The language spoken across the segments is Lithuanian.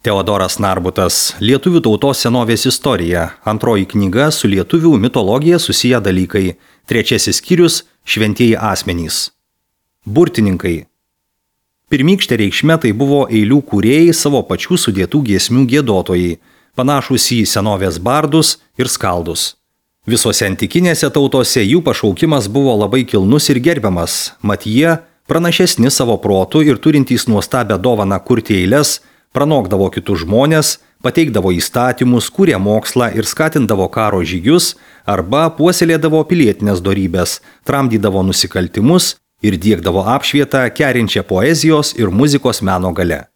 Teodoras Narbutas, Lietuvių tautos senovės istorija, antroji knyga su lietuvių mitologija susiję dalykai, trečiasis skyrius – šventieji asmenys. Burtininkai. Pirmykštė reikšmė tai buvo eilių kūrėjai savo pačių sudėtų giesmių giedotojai, panašūs į senovės bardus ir skaldus. Visose antikinėse tautose jų pašaukimas buvo labai kilnus ir gerbiamas, mat jie, pranašesni savo protu ir turintys nuostabę dovaną kurti eiles, pranokdavo kitus žmonės, pateikdavo įstatymus, kūrė mokslą ir skatindavo karo žygius arba puoselėdavo pilietinės dorybės, tramdydavo nusikaltimus ir diegdavo apšvietą kerinčią poezijos ir muzikos meno gale.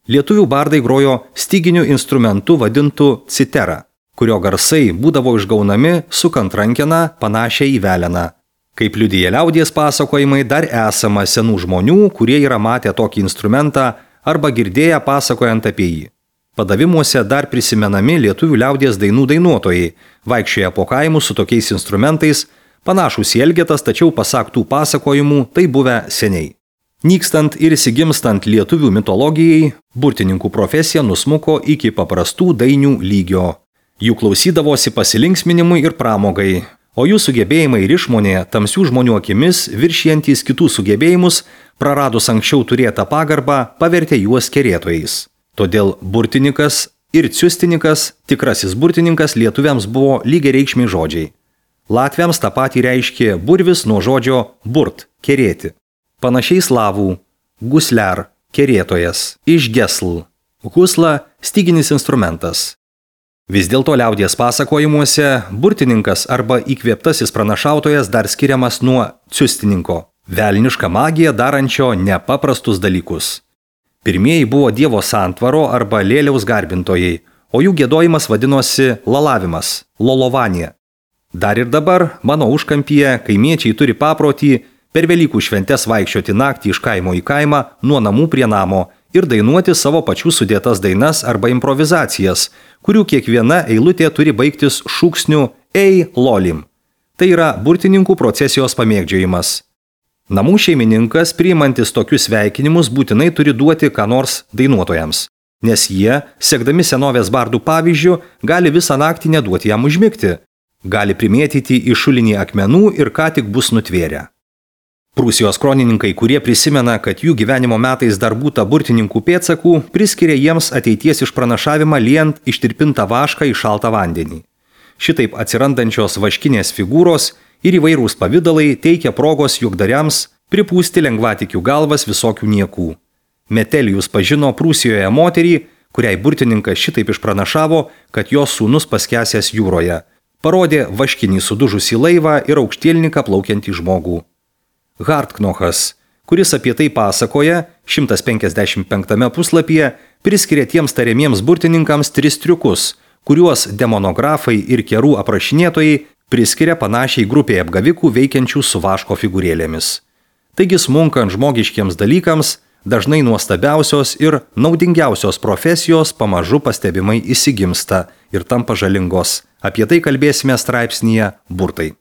Lietuvių bardai grojo styginiu instrumentu vadintu citera, kurio garsai būdavo išgaunami sukant rankeną panašią į veleną. Kaip liudija liaudies pasakojimai, dar esama senų žmonių, kurie yra matę tokį instrumentą arba girdėję pasakojant apie jį. Padavimuose dar prisimenami lietuvių liaudies dainų dainuotojai, vaikščioja po kaimus su tokiais instrumentais, panašūs į elgetas, tačiau pasak tų pasakojimų tai buvę seniai. Nykstant ir įsigimstant lietuvių mitologijai, burtininkų profesija nusmuko iki paprastų dainių lygio. Jų klausydavosi pasilinksminimui ir pramogai, o jų sugebėjimai ir išmonė tamsių žmonių akimis viršijantys kitų sugebėjimus, praradus anksčiau turėtą pagarbą, pavertė juos kerėtojais. Todėl burtininkas ir ciustininkas, tikrasis burtininkas lietuviams buvo lygiareikšmiai žodžiai. Latviams tą patį reiškė burvis nuo žodžio burt – kerėti. Panašiai slavų – gusler – kerėtojas, iš gesl – husla – styginis instrumentas. Vis dėlto liaudies pasakojimuose burtininkas arba įkvėptasis pranašautojas dar skiriamas nuo ciustininko, velnišką magiją darančio nepaprastus dalykus. Pirmieji buvo dievo santvaro arba lėliaus garbintojai, o jų giedojimas vadinosi lalavimas, lolovanija. Dar ir dabar mano užkampyje kaimiečiai turi paprotį per Velykų šventes vaikščioti naktį iš kaimo į kaimą, nuo namų prie namo ir dainuoti savo pačių sudėtas dainas arba improvizacijas, kurių kiekviena eilutė turi baigtis šūksniu ei lolim. Tai yra burtininkų procesijos pamėgdžiojimas. Namų šeimininkas, priimantis tokius sveikinimus, būtinai turi duoti ką nors dainuotojams, nes jie, sekdami senovės bardų pavyzdžių, gali visą naktį neduoti jam užmigti, gali primėtyti į šulinį akmenų ir ką tik bus nutvėrę. Prūsijos kronininkai, kurie prisimena, kad jų gyvenimo metais dar būta burtininkų pėdsakų, priskiria jiems ateities išpranašavimą liejant ištirpintą vašką į šaltą vandenį. Šitaip atsirandančios vaškinės figūros ir įvairūs pavidalai teikia progos juokdariams pripūsti lengvatikių galvas visokių niekų. Metelijus pažino Prūsijoje moterį, kuriai burtininkas šitaip išpranašavo, kad jos sūnus paskęsęs jūroje. Parodė vaškinį sudužusį laivą ir aukštielniką plaukiantį žmogų. Hartknochas, kuris apie tai pasakoja, 155 puslapyje priskiria tiems tariamiems burtininkams 3 triukus, kuriuos demonografai ir kerų aprašinėtojai priskiria panašiai grupiai apgavikų veikiančių su vaško figūrėlėmis. Taigi smunkant žmogiškiems dalykams, dažnai nuostabiausios ir naudingiausios profesijos pamažu pastebimai įsigimsta ir tampa žalingos. Apie tai kalbėsime straipsnyje Burtai.